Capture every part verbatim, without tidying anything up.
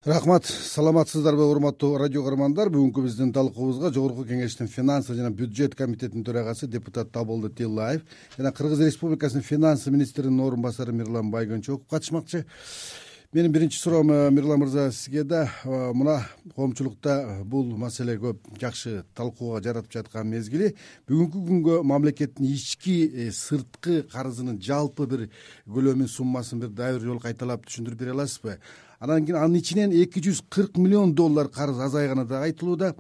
Рахмат, саламатсыздарбы урматтуу радио көрөрмандар. Бүгүнкү биздин талкуубузга Жогорку Кеңештин финансы жана бюджет комитетинин төрагасы депутат Табылды Тиллаев жана Кыргыз Республикасынын финансы министринин орун басары Мирлан Байгөнчөков катышмакчы. Менин биринчи суроом, Мирлан мырза, сизге да мына коомчулукта бул маселе көп жакшы талкууга жаратып жаткан мезгили. Бүгүнкү күнгө мамлекеттин ички сырткы карызынын жалпы бир көлөмүн, суммасын бир дагы бир жолу кайталап түшүндүрүп бере аласызбы? Анан кийин анын ичинен эки жүз кырк миллион доллар карыз азайганы да айтылууда.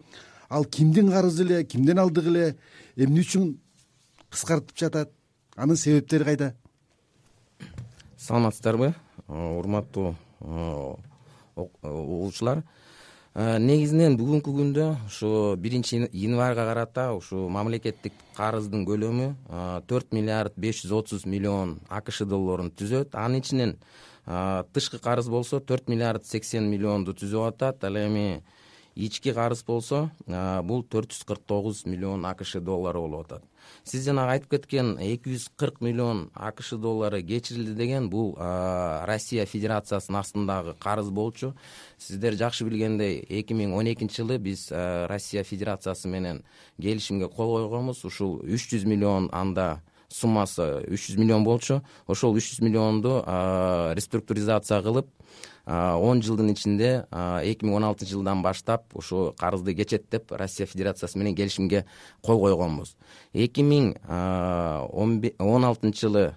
Ал кимдин карызы эле, кимден алдык эле, эмне үчүн кыскартып жатат? Анын себептери кайда? Саламатсыздарбы, урматтуу угуучулар. Негизинен бүгүнкү күндө ушу биринчи январга карата ушу мамлекеттик карыздын көлөмү төрт миллиард беш жүз отуз миллион АКШ долларун түзөт. Анын ичинен тышкы карыз болсо төрт миллиард сексен миллионду түзүп атат. Ал эми ички карыз болсо бул төрт жүз кырк тогуз миллион АКШ доллары болуп атат. Сиз жанагы айтып кеткен эки жүз кырк миллион АКШ доллары кечирилди деген бул Россия Федерациясынын астындагы карыз болчу. Сиздер жакшы билгендей эки миң он экинчи жылы биз Россия Федерациясы менен келишимге кол койгонбуз. Ушул үч жүз миллион анда суммасы үч жүз миллион болчу. Ошол үч жүз миллионду реструктуризация кылып он жылдын ичинде эки миң он алтынчы жылдан баштап ушу карызды кечет деп Россия Федерациясы менен келишимге кол койгонбуз. эки миң он алтынчы жылы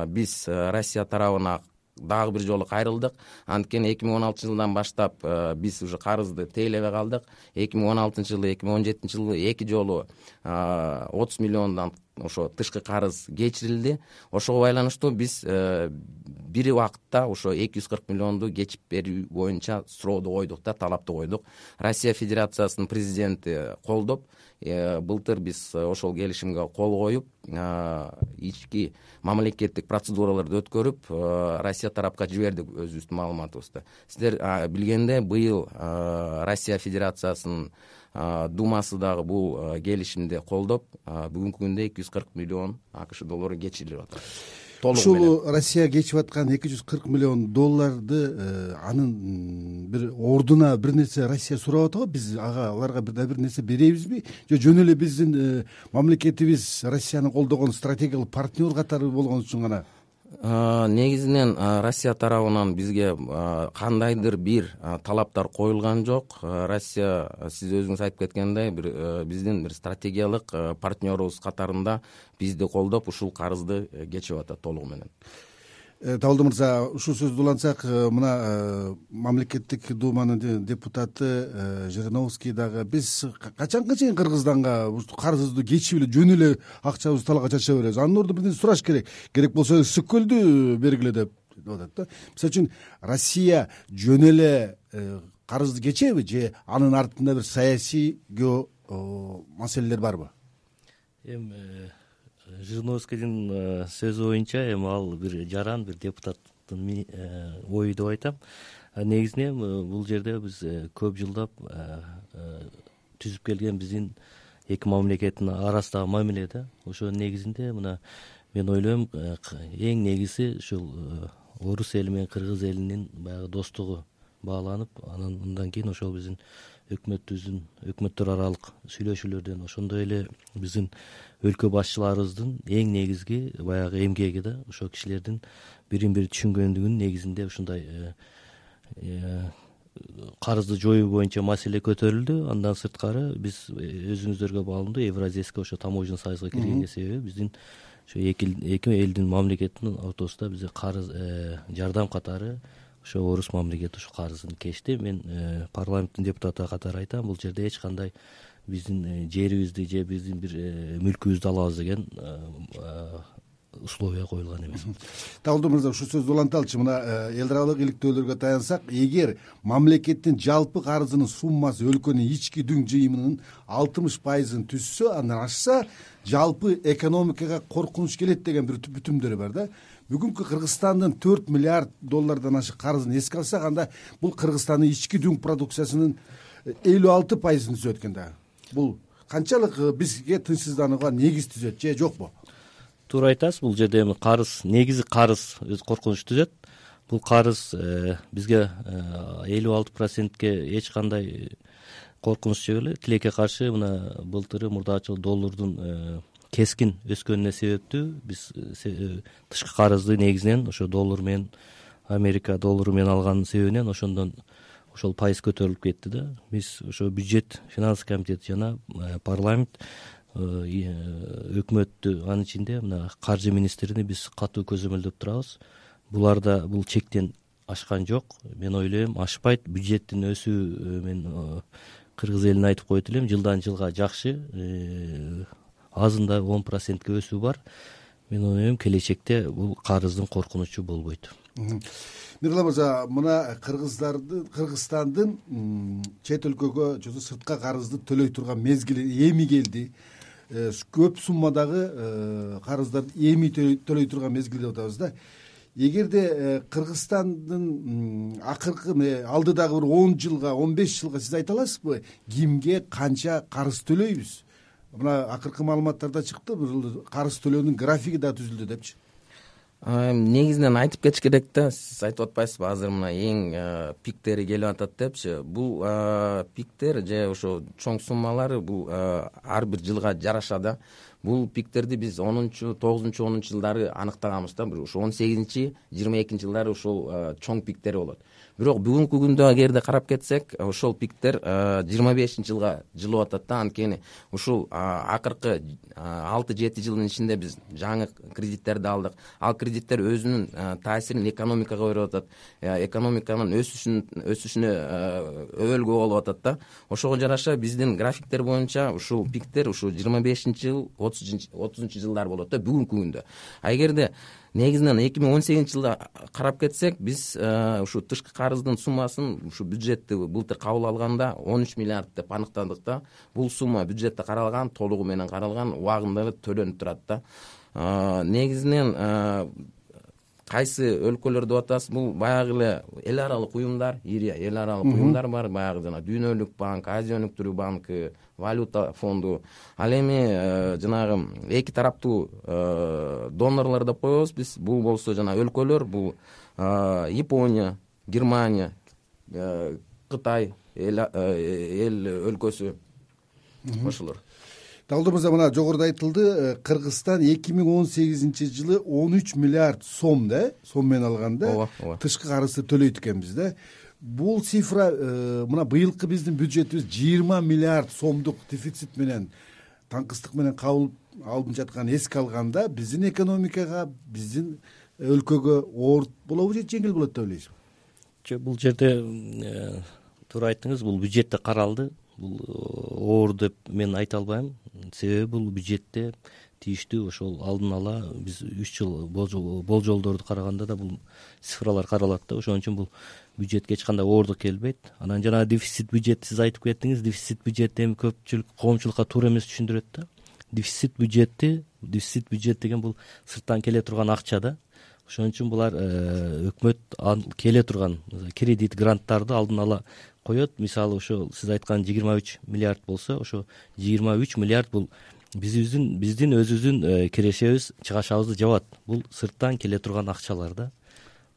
биз Россия тарабына дагы бир жолу кайрылдык. Анткени эки миң он алтынчы жылдан баштап биз уже карызды тейлебей калдык. эки миң он алтынчы жылы, эки миң он жетинчи жылы эки жолу отуз миллиондан ошо тышкы карыз кечирилди. Ошого байланыштуу биз бир убакытта ошо эки жүз кырк миллионду кечип берүү боюнча сурооду койдук да, талапты койдук. Россия Федерациясынын президенти колдоп, былтыр биз ошол келишимге кол коюп, ички мамлекеттик процедураларды өткөрүп, Россия тарапка жибердик өзүбүздүн маалыматыбызды. Сиздер билгендей, быйыл Россия Федерациясынын Думасы дагы бул келишимди колдоп, бүгүнкү күндө эки жүз кырк миллион АКШ доллары кечирилип атат. Ушул Россия кечип аткан эки жүз кырк миллион долларды анын бир ордуна бир нерсе Россия сурап атабы? Биз ага аларга бир да бир нерсе беребизби? Же жөн эле биздин мамлекетибиз Россияны колдогон стратегиялык партнер катары болгон үчүн гана? Негизинен Россия тарабынан бизге кандайдыр бир талаптар коюлган жок. Россия, сиз өзүңүз айтып кеткендей, бир биздин бир стратегиялык партнерубуз катарында бизди колдоп ушул карызды кечип атат толугу менен. Табылды мырза, ушул сөздү улантсак, мына мамлекеттик думанын депутаты Жириновский дагы биз качанга чейин Кыргызстанга карызды кечип эле жөн эле акчабызды талга чача беребиз? Анын ордуна бир сураш керек. Керек болсо Сөккөлдү бергиле деп атат да. Мисалы үчүн Россия жөн эле карызды кечеби же анын артында бир саясий маселелер барбы? Эми Жириновскийдин сөзү боюнча эми ал бир жаран, бир депутаттын ою деп айтам. Негизинен бул жерде биз көп жылдап түзүп келген биздин эки мамлекеттин арасындагы мамиле да. Ошо негизинде мына мен ойлойм, эң негизи ушул орус эли менен кыргыз элинин баягы достугу бааланып, анан андан кийин ошол биздин өкмөтүбүздүн өкмөттөр аралык сүйлөшүүлөрдөн, ошондой эле биздин өлкө башчыларыбыздын эң негизги баягы эмгеги да, ошо кишилердин бирин бири түшүнгөндүгүнүн негизинде ушундай карызды жоюу боюнча маселе көтөрүлдү. Андан сырткары биз өзүңүздөргө баалуу Евразийский ошо таможенный союзга киргенге себеби биздин ошо эки элдин мамлекеттин ортосунда бизге карыз жардам катары ошо орус мамлекети ушул карызын кечти. Мен парламенттин депутаты катары айтам, бул жерде эч кандай биздин жерибизди же биздин бир мүлкүбүздү алабыз деген условия коюлган эмес. Табылды мырза, ушул сөздү уланталычы. Мына эл аралык иликтөөлөргө таянсак, эгер мамлекеттин жалпы карызынын суммасы өлкөнүн ички дүң жыйымынын алтымыш пайызын түзсө, андан ашса, жалпы экономикага коркунуч келет деген бир бүтүмдөр бар да. Бүгүнкү Кыргызстандын төрт миллиард доллардан ашык карызын эске алсак, анда бул Кыргызстандын ички дүң продукциясынын элүү алты пайызын түзөт экен да. Бул канчалык бизге тынчсызданууга негиз түзөт же жокпу? Туура айтасыз, бул жерде эми карыз, негизи карыз өзү коркунуч түзөт. бул карыз бизге элүү алты процентке эч кандай коркунуч жок эле. Тилекке каршы мына былтыры мурдачы доллардын кескин өскөнүнө себептүү. Биз тышкы карызды негизинен ошо доллар менен, Америка доллару менен алганын себебинен ошондон ошол пайыз көтөрүлүп кетти да. Биз ошо бюджет, финанс комитети жана парламент, өкмөттү, анын ичинде мына каржы министрини биз катуу көзөмөлдөп турабыз. Буларда бул чектен ашкан жок. Мен ойлойм, ашпайт. Бюджеттин өсүү мен кыргыз элине айтып коет элем, жылдан жылга жакшы, азында он процентке өсүү бар. Мен ойлойм, келечекте бул карыздын коркунучу болбойт. Мирлан мырза, мына кыргыздардын Кыргызстандын чет өлкөгө же сыртка карызды төлөй турган мезгили эми келди. Көп суммадагы карыздарды эми төлөй турган мезгил деп атабыз да. Эгерде Кыргызстандын акыркы алдыдагы бир он жылга, он беш жылга сиз айта аласызбы, кимге канча карыз төлөйбүз? Мына акыркы маалыматтарда чыкты, бир карыз төлөөнүн графиги да түзүлдү депчи. Негизинен айтып кетиш керек да, сиз айтып атпайсызбы, азыр мына эң пиктери келип атат депчи. Бул пиктер же ошо чоң суммалары бул ар бир жылга жараша да. Бул пиктерди биз онунчу, тогузунчу, онунчу жылдары аныктаганбыз да. Ошо он сегизинчи, жыйырма экинчи жылдары ошол чоң пиктери болот. Бирок бүгүнкү күндө эгерде карап кетсек, ошол пиктер жыйырма бешинчи жылга жылып атат да. Анткени ушул акыркы алты жети жылдын ичинде биз жаңы кредиттерди алдык. Ал кредиттер өзүнүн таасирин экономикага берип атат. Экономиканын өсүшүн өсүшүнө өбөлгө болуп атат да. Ошого жараша биздин графиктер боюнча ушул пиктер ушул жыйырма бешинчи жыл, отузунчу жылдар болот да бүгүнкү күндө. А эгерде негизинен эки миң он сегизинчи жылда карап кетсек, биз ушу тышкы карыздын суммасын ушу бюджетти былтыр кабыл алганда он үч миллиард деп аныктадык да. Бул сумма бюджетте каралган, толугу менен каралган, убагында эле төлөнүп турат да. Негизинен кайсы өлкөлөр деп атасыз, бул баягы эле эл аралык уюмдар, ири эл аралык уюмдар бар, баягы жана Дүйнөлүк банк, Азия өнүктүрүү банкы, валюта фонду. Ал эми жанагы эки тараптуу донорлор деп коебуз биз. Бул болсо жана өлкөлөр, бул Япония, Германия, Кытай эл өлкөсү ошолор. Талдыр мырза, мына жогоруда айтылды, Кыргызстан эки миң он сегизинчи жылы он үч миллиард сом да, сом менен алганда тышкы карызды төлөйт экенбиз да. Бул цифра мына быйылкы биздин бюджетибиз жыйырма миллиард сомдук дефицит менен, таңкыстык менен кабыл алынып жатканын эске алганда, биздин экономикага, биздин өлкөгө оор болобу же жеңил болот деп ойлойсузбу? Жок, бул жерде туура айттыңыз, бул бюджетте каралды. Бул оор деп мен айта албайм. Себеби бул бюджетте тийиштүү ошол алдын ала биз үч жыл болжолдорду караганда да бул цифралар каралат да. Ошон үчүн бул бюджетке эч кандай оордук келбейт. Анан жана дефицит бюджет сиз айтып кеттиңиз. Дефицит бюджетти эми көпчүлүк коомчулукка туура эмес түшүндүрөт да. Дефицит бюджетти, дефицит бюджет деген бул сырттан келе турган акча да. Ошон үчүн булар өкмөт келе турган кредит, гранттарды алдын ала коет. Мисалы ошо сиз айткан жыйырма үч миллиард болсо, ошо жыйырма үч миллиард бул биздин биздин өзүбүздүн кирешебиз, чыгашабызды жабат. Бул сырттан келе турган акчалар да.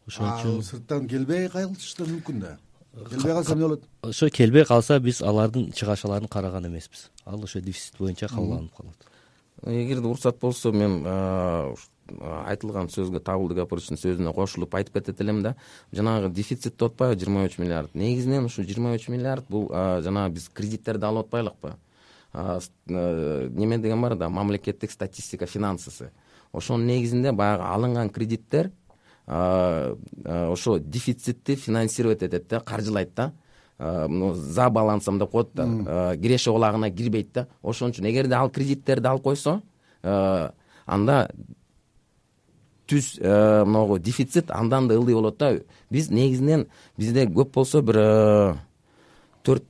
Ошон үчүн сырттан келбей калышы да мүмкүн да. Келбей калса эмне болот? Ошо келбей калса биз алардын чыгашаларын караган эмеспиз. Ал ошо дефицит боюнча кабыл алынып калат. Эгерде уруксат болсо, мен айтылган сөзгө Табылды Гапыровичтин сөзүнө кошулуп айтып кетет элем да. Жанагы дефицит деп атпайбы жыйырма үч миллиард. Негизинен ушу жыйырма үч миллиард бул жанагы биз кредиттерди алып атпайлыкпы? Неме деген бар да, мамлекеттик статистика финансысы. Ошонун негизинде баягы алынган кредиттер ошо дефицитти финансировать этет да, каржылайт да. За балансым деп коет да, киреше олагына кирбейт да. Ошон үчүн эгерде ал кредиттерди алып койсо, анда түз могу дефицит андан да ылдый болот да. Биз негизинен бизде көп болсо бир төрт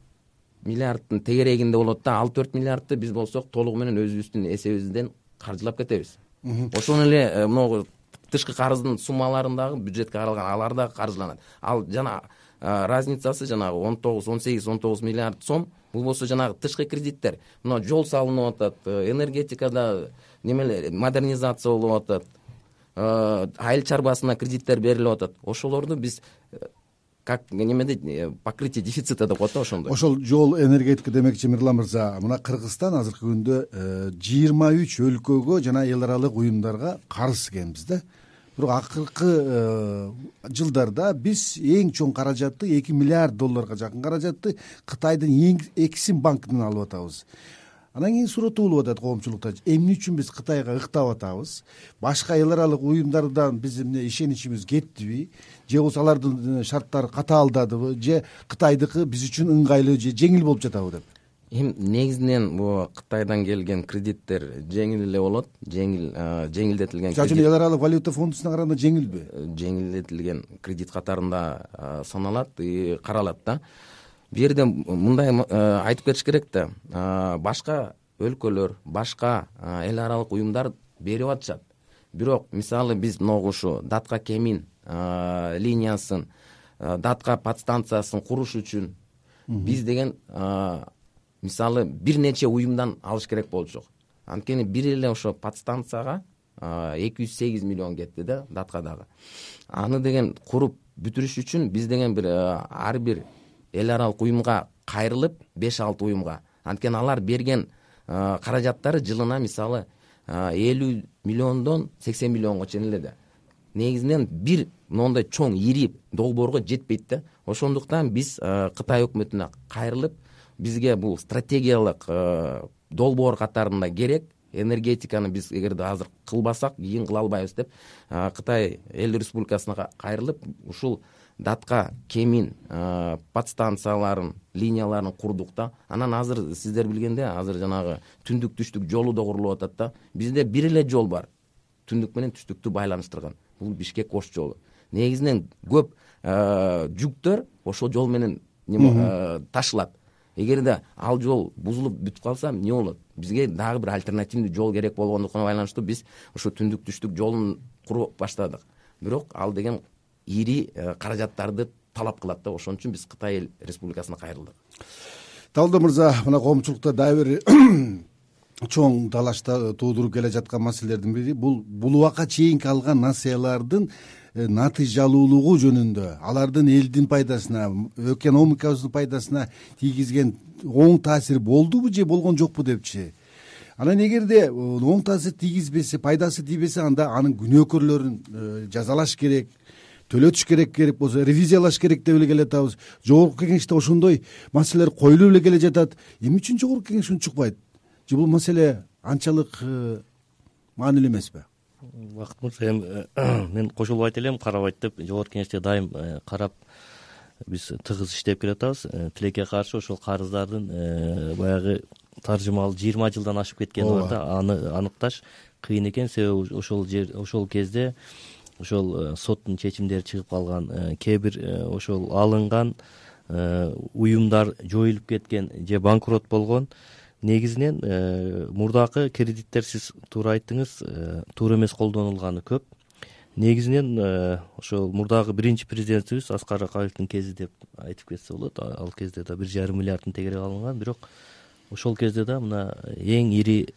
миллиардтын тегерегинде болот да. Ал төрт миллиардты биз болсок толугу менен өзүбүздүн эсебибизден каржылап кетебиз. Ошон эле могу тышкы карыздын суммаларындагы бюджетке каралган алар да каржыланат. Ал жана разницасы жанагы он тогуз, он сегиз, он тогуз миллиард сом. Бул болсо жанагы тышкы кредиттер. Мына жол салынып атат, энергетикада немелер модернизация болуп атат. айыл чарбасына кредиттер берилип атат. Ошолорду биз как немеде покрытие дефицита деп коет да, ошондой. Ошол жол энергетика демекчи Мирлан мырза, мына Кыргызстан азыркы күндө жыйырма үч өлкөгө жана эл аралык уюмдарга карыз экенбиз да. Бирок акыркы жылдарда биз эң чоң каражатты эки миллиард долларга жакын каражатты Кытайдын эң Эксим банкынан алып атабыз. Анан кийин суроо туулуп атат коомчулукта, эмне үчүн биз Кытайга ыктап атабыз? Башка эл аралык уюмдардан биздин эмне ишеничибиз кеттиби? Же болбосо алардын шарттары катаалдадыбы? Же Кытайдыкы биз үчүн ыңгайлуу же жеңил болуп жатабы деп? Эми негизинен бул Кытайдан келген кредиттер жеңил эле болот, жеңил жеңилдетилген кредит. Эл аралык валюта фондусуна караганда жеңилби? Жеңилдетилген кредит катарында саналат, каралат да. Бул жерде мындай айтып кетиш керек да, башка өлкөлөр, башка эл аралык уюмдар берип атышат. Бирок мисалы биз могу ушу Датка Кемин линиясын, Датка подстанциясын куруш үчүн биз деген мисалы бир нече уюмдан алыш керек болчу. Анткени бир эле ошо подстанцияга эки жүз сегиз миллион кетти да, Даткадагы. Аны деген куруп бүтүрүш үчүн биз деген бир ар бир эл аралык уюмга кайрылып беш алты уюмга. Анткени алар берген каражаттары жылына мисалы элүү миллиондон сексен миллионго чейин эле да. Негизинен бир моундай чоң ири долбоорго жетпейт да. Ошондуктан биз Кытай өкмөтүнө кайрылып, бизге бул стратегиялык долбоор катарында керек, энергетиканы биз эгерде азыр кылбасак кийин кыла албайбыз деп Кытай эл республикасына кайрылып, ушул Датка Кемин подстанцияларын, линияларын курдук да. Анан азыр сиздер билгендей, азыр жанагы түндүк түштүк жолу да курулуп атат да. Бизде бир эле жол бар, түндүк менен түштүктү байланыштырган. Бул Бишкек-Ош жолу. Негизинен көп жүктөр ошол жол менен ташылат. Эгерде ал жол бузулуп бүтүп калса эмне болот? Бизге дагы бир альтернативдүү жол керек болгондуктан байланыштуу биз ошо түндүк түштүк жолун куруп баштадык. Бирок ал деген ири каражаттарды талап кылат да. Ошон үчүн биз Кытай республикасына кайрылдык. Табылды мырза, мына коомчулукта дагы бир чоң талашта туудуруп келе жаткан маселелердин бири бул бул убакка чейинки алган насыялардын натыйжалуулугу жөнүндө, алардын элдин пайдасына, экономикабыздын пайдасына тийгизген оң таасир болдубу же болгон жокпу депчи. Анан эгерде оң таасир тийгизбесе, пайдасы тийбесе, анда анын күнөөкөрлөрүн жазалаш керек, төлөтүш керек, керек болсо ревизиялаш керек деп эле келатабыз. Жогорку кеңеште ошондой маселелер коюлуп эле келе жатат. Эмне үчүн жогорку кеңеш унчукпайт? Же бул маселе анчалык маанилүү эмеспи? Бакыт мырза, эми мен кошулбайт элем, карабайт деп, жогорку кеңеште дайым карап биз тыгыз иштеп келатабыз. Тилекке каршы ошол карыздардын баягы таржымал жыйырма жылдан ашып кеткени бар да, аны аныкташ кыйын экен. Себеби ошол жер ошол кезде ошол соттун чечимдери чыгып калган, кээ бир ошол алынган уюмдар жоюлуп кеткен же банкрот болгон. Негизинен мурдакы кредиттер, сиз туура айттыңыз, туура эмес колдонулганы көп. Негизинен ошол мурдагы биринчи президентибиз Аскар Акаевдин кези деп айтып кетсе болот. Ал кезде да бир жарым миллиардтын тегерек алынган, бирок ошол кезде да мына эң ири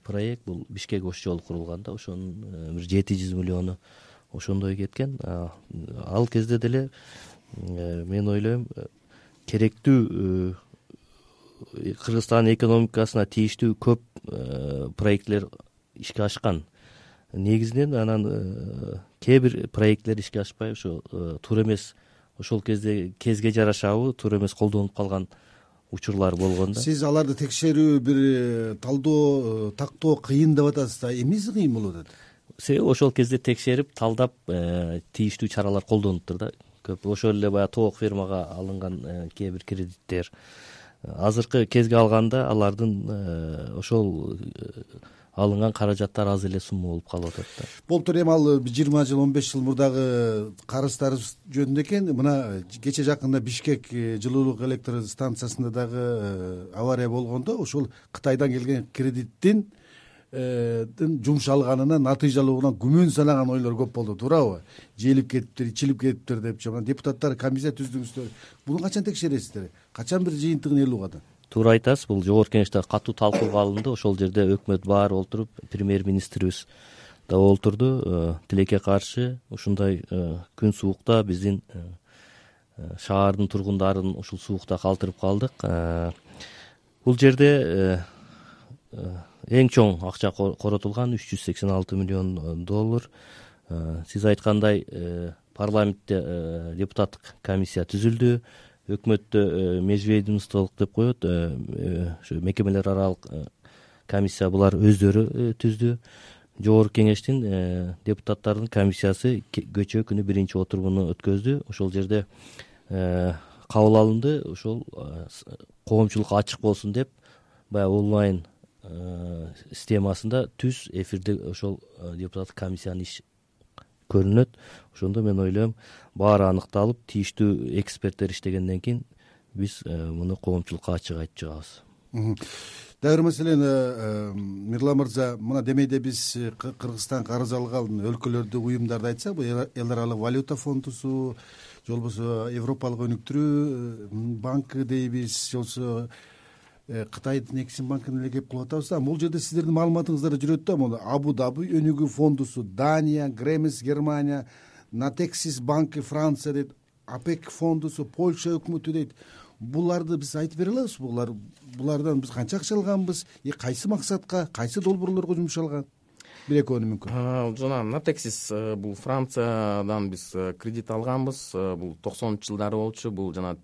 проект бул Бишкек-Ош жолу курулган да. Ошонун бир жети жүз миллиону ошондой кеткен. Ал кезде деле мен ойлойм керектүү Кыргызстан экономикасына тийиштүү көп проектлер ишке ашкан. Негизинен анан кээ бир проектлер ишке ашпай ошо туура эмес, ошол кезде кезге жарашабы туура эмес колдонуп калган учурлар болгон да. Сиз аларды текшерүү, бир талдоо, тактоо кыйын деп атасыз да. Эмнеси кыйын болуп атат? Себеби ошол кезде текшерип, талдап тийиштүү чаралар колдонуптур да. Көп ошол эле баягы тоок фермага алынган кээ бир кредиттер азыркы кезге алганда алардын ошол алынган каражаттар аз эле сумма болуп калып атат да. Болуптур, эми ал жыйырма жыл, он беш жыл мурдагы карыздарыбыз жөнүндө экен. Мына кече жакында Бишкек жылуулук электр станциясында дагы авария болгондо ошол Кытайдан келген кредиттин жумшалганына, натыйжалууна күмөн санаган ойлор көп болду, туурабы? Жээлип кетиптир, ичилип кетиптир депчи. Мына депутаттар комиссия түздүңүздөр. Буну качан текшересиздер? Качан бир жыйынтыгын эл угат? Туура айтасыз, бул жогорку кеңеште катуу талкууга алынды. Ошол жерде өкмөт баары олтуруп, премьер министрибиз да олтурду. Тилекке каршы ушундай күн суукта биздин шаардын тургундарын ушул суукта калтырып калдык. Бул жерде эң чоң акча коротулган үч жүз сексен алты миллион доллар. Сиз айткандай парламентте депутаттык комиссия түзүлдү. Өкмөттө межведомстволук деп коет, ушу мекемелер аралык комиссия булар өздөрү түздү. Жогорку кеңештин депутаттардын комиссиясы көчө күнү биринчи отурумуну өткөздү. Ошол жерде кабыл алынды. Ошол коомчулукка ачык болсун деп баягы онлайн системасында түз эфирде ошол депутаттык комиссиянын иш көрүнөт. Ошондо мен ойлойм, баары аныкталып, тийиштүү эксперттер иштегенден кийин биз муну коомчулукка ачык айтып чыгабыз. Дагы бир маселени Мирлан мырза, мына демейде биз Кыргызстан карыз алган өлкөлөрдү, уюмдарды айтсак, бул эл аралык валюта фондусу, же болбосо Европалык өнүктүрүү банкы дейбиз, же болбосо Кытайдын Эксим банкын эле кеп кылып атабыз да. Бул жерде сиздердин маалыматыңыздар жүрөт да, могу Абу Даби өнүгүү фондусу, Дания, Гремис Германия, Натексис банкы Франция дейт, АПЕК фондусу, Польша өкмөтү дейт. Буларды биз айтып бере алабызбы? Булар булардан биз канча акча алганбыз, и кайсы максатка, кайсы долбоорлорго жумшалган? Бир экөөнү мүмкүн. Жана Натексис бул Франциядан биз кредит алганбыз. Бул токсонунчу жылдары болчу. Бул жана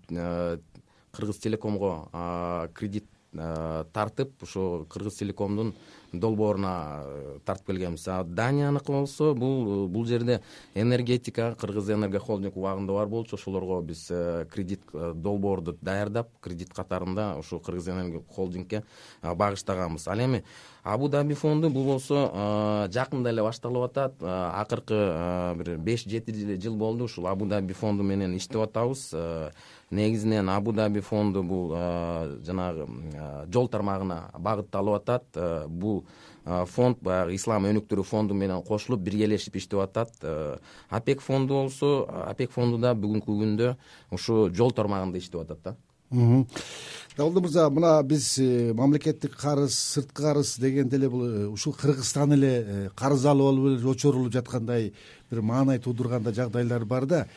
Кыргыз Телекомго кредит тартып, ошо Кыргыз Телекомдун долбооруна тартып келгенбиз. Данияныкы болсо, бул бул жерде энергетика, Кыргыз Энерго холдинг убагында бар болчу. Ошолорго биз кредит долбоорду даярдап, кредит катарында ошо Кыргыз Энерго холдингке багыштаганбыз. Ал эми Абу Даби фонду бул болсо жакында эле башталып атат. Акыркы бир беш жети жыл болду ушул Абу Даби фонду менен иштеп атабыз. Негизинен Абу Даби фонду бул жанагы жол тармагына багытталып атат. Бул фонд баягы ислам өнүктүрүү фонду менен кошулуп биргелешип иштеп атат. АПЕК фонду болсо, АПЕК фонду да бүгүнкү күндө ушу жол тармагында иштеп атат да. Давулды мырза, мына биз мамлекеттик карыз, сырткы карыз дегенде эле бул ушул Кыргызстан эле карыз алып алып очорулуп жаткандай бир маанай туудурганда жагдайлар бар да.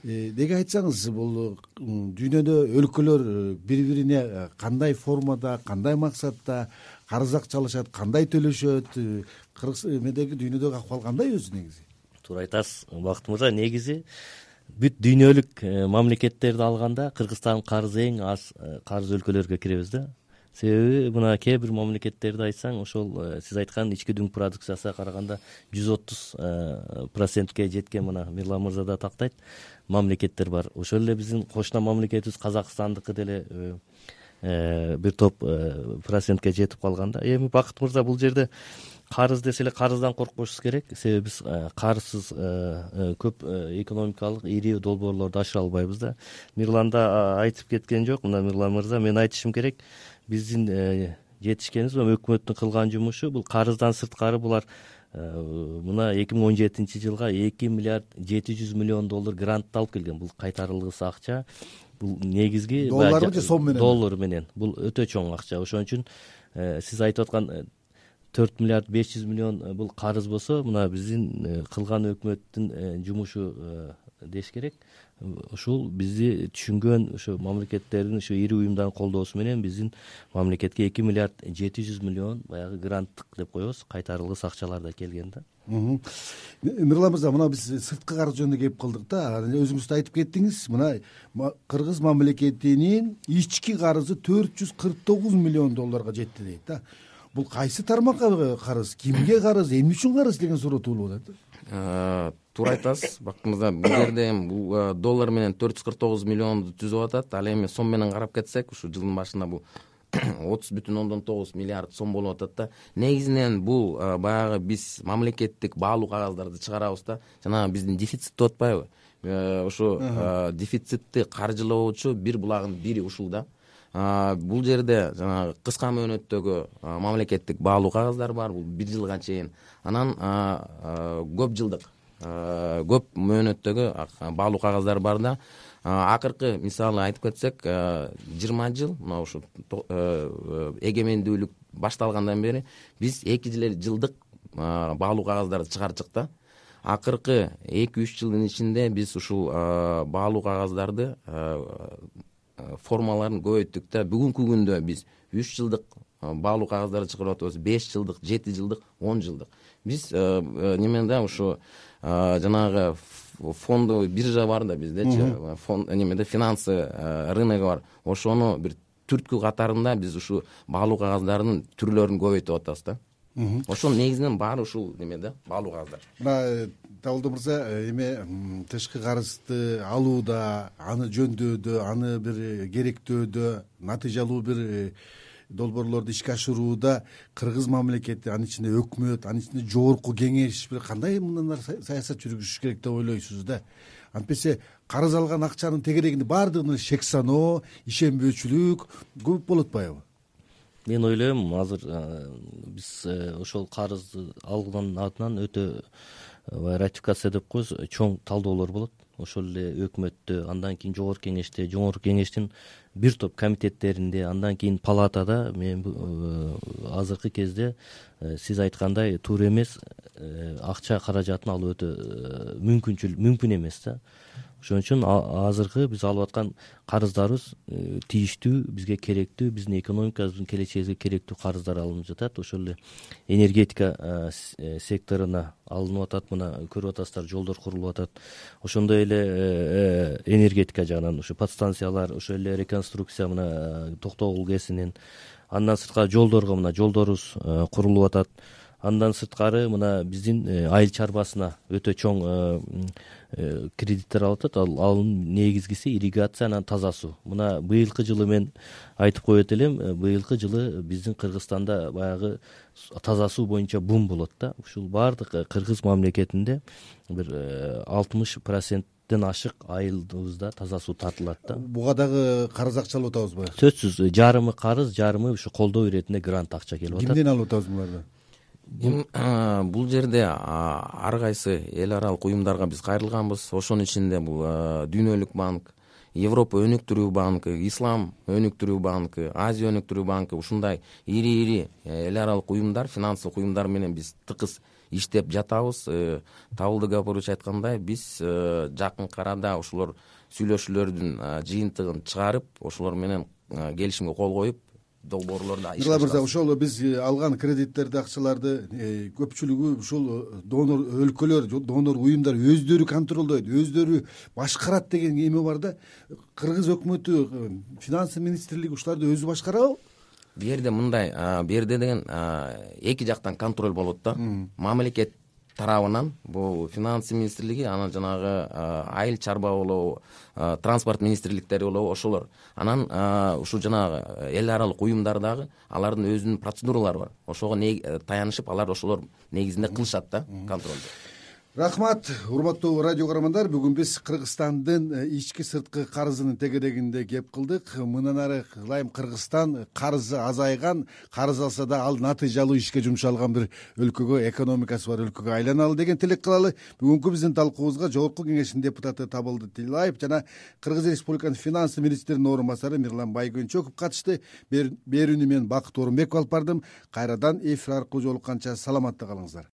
Деге айтсаңыз, бул дүйнөдө өлкөлөр бири-бирине кандай формада, кандай максатта карыз акчалашат, кандай төлөшөт? Кыргыз эмедеги дүйнөдөгү акыбал кандай өзү негизи? Туура айтасыз, Бакыт мырза. Негизи бүт дүйнөлүк мамлекеттерди алганда Кыргызстан карызы эң аз карыз өлкөлөргө киребиз да. Себеби мына кээ бир мамлекеттерди айтсаң, ошол сиз айткан ички дүң продукциясына караганда жүз отуз процентке жеткен, мына Мирлан мырза да тактайт, мамлекеттер бар. Ошол эле биздин кошуна мамлекетибиз Казакстандыкы деле бир топ процентке жетип калганда. Эми Бакыт мырза, бул жерде карыз десе эле карыздан коркпошубуз керек. Себеби биз карызсыз көп экономикалык ири долбоорлорду ашыра албайбыз да. Мирлан да айтып кеткен жок. Мына Мирлан мырза, мен айтышым керек, биздин жетишкенибиз, өкмөттүн кылган жумушу бул карыздан сырткары булар мына эки миң он жетинчи жылга эки миллиард жети жүз миллион доллар грант алып келген. Бул кайтарылгыс акча. Бул негизги доллар же сом менен? Доллар менен. Бул өтө чоң акча. Ошон үчүн сиз айтып аткан төрт миллиард беш жүз миллион бул карыз болсо, мына биздин кылган өкмөттүн жумушу деш керек. Ушул бизди түшүнгөн ошо мамлекеттердин, ошо ири уюмдардын колдоосу менен биздин мамлекетке эки миллиард жети жүз миллион баягы гранттык деп коебуз, кайтарылгыс акчалар да келген да. Мирлан мырза, мына биз сырткы карыз жөнүндө кеп калдык да. Өзүңүз да айтып кеттиңиз, мына Кыргыз мамлекетинин ички карызы төрт жүз кырк тогуз миллион долларга жетти дейт да. Бул кайсы тармакка карыз, кимге карыз, эмне үчүн карыз деген суроо туулуп атат. Туура айтасыз, Бакыт мырза. Бул жерде бул доллар менен төрт жүз кырк тогуз миллионду түзүп атат. Ал эми сом менен карап кетсек, ушу жылдын башында бул отуз бүтүн ондон тогуз миллиард сом болуп атат да. Негизинен бул баягы биз мамлекеттик баалуу кагаздарды чыгарабыз да. Жана биздин дефицит деп атпайбы? Ошо дефицитти каржылоочу бир булагын бири ушул да. Бул жерде жанагы кыска мөөнөттөгү мамлекеттик баалуу кагаздар бар. Бул бир жылга чейин. Анан көп жылдык, көп мөөнөттөгү баалуу кагаздар бар да. Акыркы мисалы айтып кетсек, жыйырма жыл, мына ушу эгемендүүлүк башталгандан бери биз эки жылдык баалуу кагаздарды чыгарчык да. Акыркы эки үч жылдын ичинде биз ушул баалуу кагаздарды формаларын көбөйттүк да. Бүгүнкү күндө биз үч жылдык баалуу кагаздарды чыгарып атабыз, беш жылдык, жети жылдык, он жылдык. Биз немеде ушу жанагы фондовый биржа бар да биздечи, фонд немеде финансы рыногу бар. Ошону бир түрткү катарында биз ушу баалуу кагаздардын түрлөрүн көбөйтүп атабыз да. Ошонун негизинен баары ушул немеде баалуу кагаздар. Мына Табылды мырза, эме тышкы карызды алууда, аны жөндөдө, аны бир керектөөдө, натыйжалуу бир долбоорлорду ишке ашырууда кыргыз мамлекети, анын ичинде өкмөт, анын ичинде жогорку кеңеш бир кандай мындай саясат жүргүзүш керек деп ойлойсуз да? Антпесе карыз алган акчанын тегерегинде баардыгына шек саноо, ишенбөөчүлүк көп болуп атпайбы? Мен ойлойм, азыр биз ошол карызды алгандан артынан өтө ратификация деп коебуз, чоң талдоолор болот. Ошол эле өкмөттө, андан кийин жогорку кеңеште, жогорку кеңештин бир топ комитеттеринде, андан кийин палатада. Мен азыркы кезде сиз айткандай туура эмес, акча каражатын алуу өтө мүмкүнчүл мүмкүн эмес да. Ошон үчүн азыркы биз алып аткан карыздарыбыз тийиштүү, бизге керектүү, биздин экономикабыздын келечегибизге керектүү карыздар алынып жатат. Ошол эле энергетика секторуна алынып атат. Мына көрүп атасыздар, жолдор курулуп атат. Ошондой эле энергетика жагынан ушу подстанциялар, ошол эле реконструкция мына Токтогул ГЭСинин, андан сырткары жолдорго мына жолдорубуз курулуп атат. Андан сырткары мына биздин айыл чарбасына өтө чоң кредиттер алып атат. Анын негизгиси ирригация, анан таза суу. Мына быйылкы жылы мен айтып коет элем, быйылкы жылы биздин Кыргызстанда баягы таза суу боюнча бум болот да. Ушул баардык кыргыз мамлекетинде бир алтымыш проценттен ашык айылыбызда таза суу тартылат да. Буга дагы карыз акча алып атабызбы? Сөзсүз, жарымы карыз, жарымы ушу колдоо иретинде грант акча келип атат. Кимден алып атабыз буларды? Бул жерде ар кайсы эл аралык уюмдарга биз кайрылганбыз. Ошонун ичинде бул Дүйнөлүк банк, Европа өнүктүрүү банкы, Ислам өнүктүрүү банкы, Азия өнүктүрүү банкы, ушундай ири-ири эл аралык уюмдар, финансылык уюмдар менен биз тыкыз иштеп жатабыз. Табылды Гапорович айткандай, биз жакынкы арада ошолор сүйлөшүүлөрдүн жыйынтыгын чыгарып, ошолор менен келишимге кол коюп, долбоорлорду ишке ашырабыз. Мырза, ошол биз алган кредиттерди, акчаларды көпчүлүгү ушул донор өлкөлөр, донор уюмдар өздөрү контролдойт, өздөрү башкарат деген эме бар да. Кыргыз өкмөтү, финансы министрлиги ушуларды өзү башкарабы? Бу жерде мындай, бу жерде деген эки жактан контроль болот да. Мамлекет тарабынан бул финансы министрлиги, анан жанагы айыл чарба болобу, транспорт министрликтери болобу, ошолор. Анан ушу жанагы эл аралык уюмдар дагы алардын өзүнүн процедуралары бар. Ошого таянышып, алар ошолор негизинде кылышат да контролду. Рахмат, урматтуу радио көрөрмандар. Бүгүн биз Кыргызстандын ички сырткы карызынын тегерегинде кеп кылдык. Мындан ары ылайым Кыргызстан карызы азайган, карыз алса да ал натыйжалуу ишке жумшалган бир өлкөгө, экономикасы бар өлкөгө айланалы деген тилек кылалы. Бүгүнкү биздин талкуубузга жогорку кеңештин депутаты Табылды Тилаев жана Кыргыз Республикасынын финансы министринин орун басары Мирлан Байгөнчөков катышты. Берүүнү мен Бакыт Орунбеков алып бардым. Кайрадан эфир аркылуу жолукканча саламатта калыңыздар.